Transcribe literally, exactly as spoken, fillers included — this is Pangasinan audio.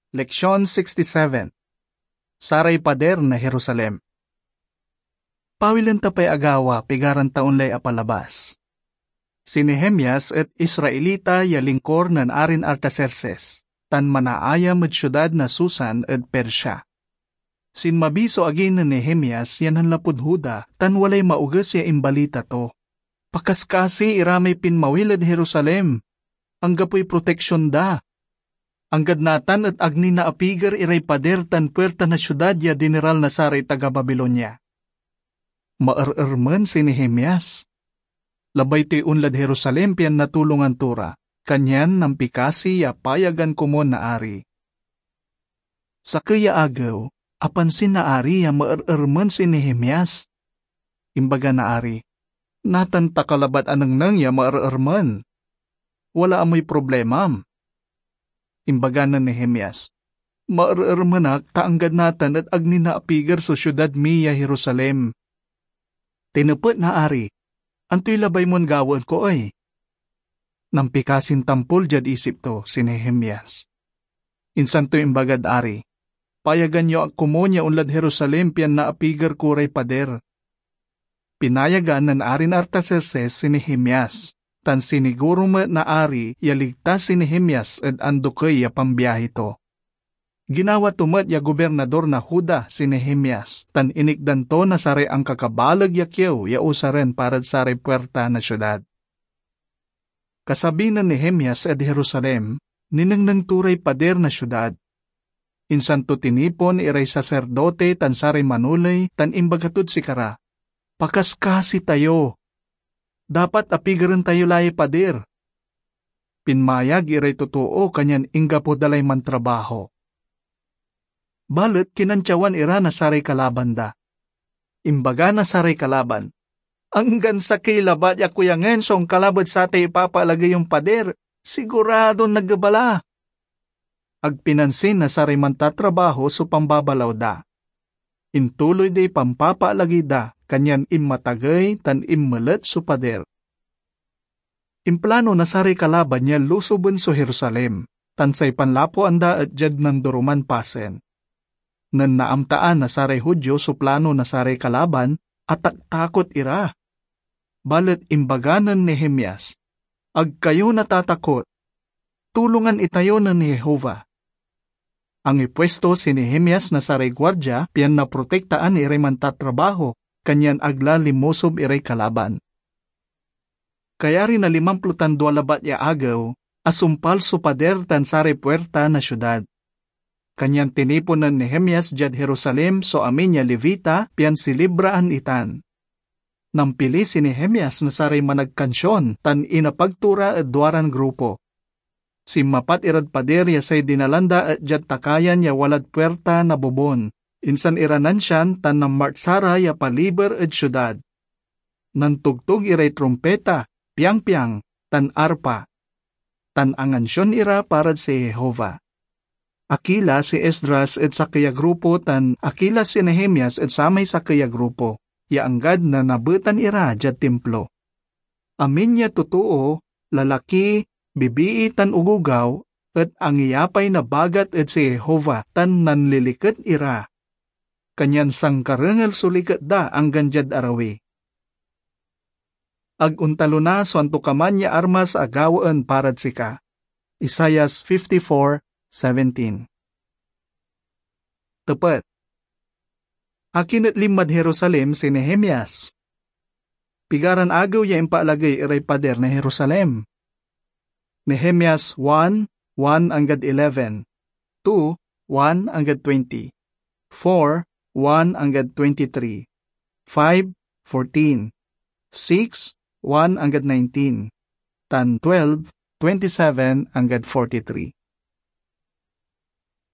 Leksion sixty-seven. Saray pader na Jerusalem. Pawilen ta pay agawa, pigaran taon lay apalabas. Si Nehemias et Israelita ya lingkor nen Arin Artaxerxes, tan manaayam ed siudad na Susan ed Persia. Sinmabi so agi nen Nehemias yan nanlapud Juda, tan walay maoges ya imbalita to. Pakaskasi iramay pinmawil ed Jerusalem. Anggapoy proteksion da. Anggad natan et ag ni naapiger iray pader tan puerta na siudad ya dineral na saray taga Babilonia. Maerermen si Nehemias. Labay toy onlad Jerusalem pian natulongan to ra, kanyan nampikasi ya payagan komun na ari. Sakey ya agew, apansin na ari ya maerermen si Nehemias. Imbaga na ari, "Natan ta ka labat anengneng ya maerermen. Wala amoy problemam." Imbaga nen Nehemias, "Maerermen ak ta anggad natan et ag ni naapiger so siudad mi ya Jerusalem." Tinepet na ari, "Antoy labay mon gawaen ko ey?" Nampikasin tampol diad isip to si Nehemias. Insan to imbagad ari, "Payagan yo ak komun ya onlad Jerusalem pian naapiger ko ray pader." Pinayagan nen Arin Artaxerxes si Nehemias, tan siniguro met na ari ya ligtas si Nehemias ed andokey ya pambiahi to. Ginawa to met ya gobirnador na Juda si Nehemias, tan inikdan to na saray ankakabaleg ya kiew ya usaren parad saray puerta na siudad. Kasabi nen Nehemias ed Jerusalem, ninengneng to ray pader na siudad. Insan to tinipon iray saserdote tan saray manoley tan imbaga tod sikara, "Pakaskasi tayo! Dapat apigeren tayo la yay pader." Pinmayag iray totoo, kanyan inggapo da lay mantrabaho. Balet kinantyawan ira na saray kalaban da. Imbaga na saray kalaban, "Anggan sakey labat ya kuyangen so onkalab ed satay ipapaalagey yon pader, siguradon nageba la." Ag pinansin na saray mantatrabaho so pambabalaw da. Intuloy day pampapaalagey da, kanyan inmatagey tan inmelet so pader. Implano na saray kalaban ya lusoben so Jerusalem, tan say panlapuan da et diad nandoroman pasen. Nen naamtaan na saray Judio so plano na saray kalaban, ataktakot ira. Balet imbaga nen Nehemias, "Ag kayo natatakot. Tulongan itayo nen Jehovah." Angipuesto si Nehemias na saray guardia pian naprotektaan iray mantatrabaho, kanyan ag la linmosob iray kalaban. Kayari na limamplo tan dua labat ya agew, asumpal so pader tan saray puerta na siudad. Kanyan tinipon nen Nehemias diad Jerusalem so amin ya Levita pian silibraan itan. Nampili si Nehemias na saray managkansion tan inapag to ra ed duaran grupo. Sinmapat irad pader ya say dinalan da et diad takayan ya walad puerta na bobon. Insan ira nansian tan namartsa ra ya paliber ed siudad. Nantogtog iray trumpeta, piangpiang, tan arpa, tan angansion ira parad si Jehovah. Akila si Esdras ed sakey a grupo tan akila si Nehemias ed samay sakey a grupo, ya anggad nanabetan ira diad Timplo. Amin ya totoo, lalaki, bibii, tan ogogaw et angiyapay nabagat ed si Jehovah tan nanliliket ira. Kanyan sankarengel so liket da anggan diad arawi. Ag ontalona so antokaman ya armas a gawaen parad sika. Isaias fifty-four seventeen. Tepet. Akin et linmad Jerusalem si Nehemias? Pigaran agew ya impaalagey iray pader na Jerusalem? Nehemias one, one anggad eleven, two, one anggad twenty, four, one anggad twenty-three, five, fourteen, six, one anggad nineteen, tan twelve, twenty-seven anggad forty-three.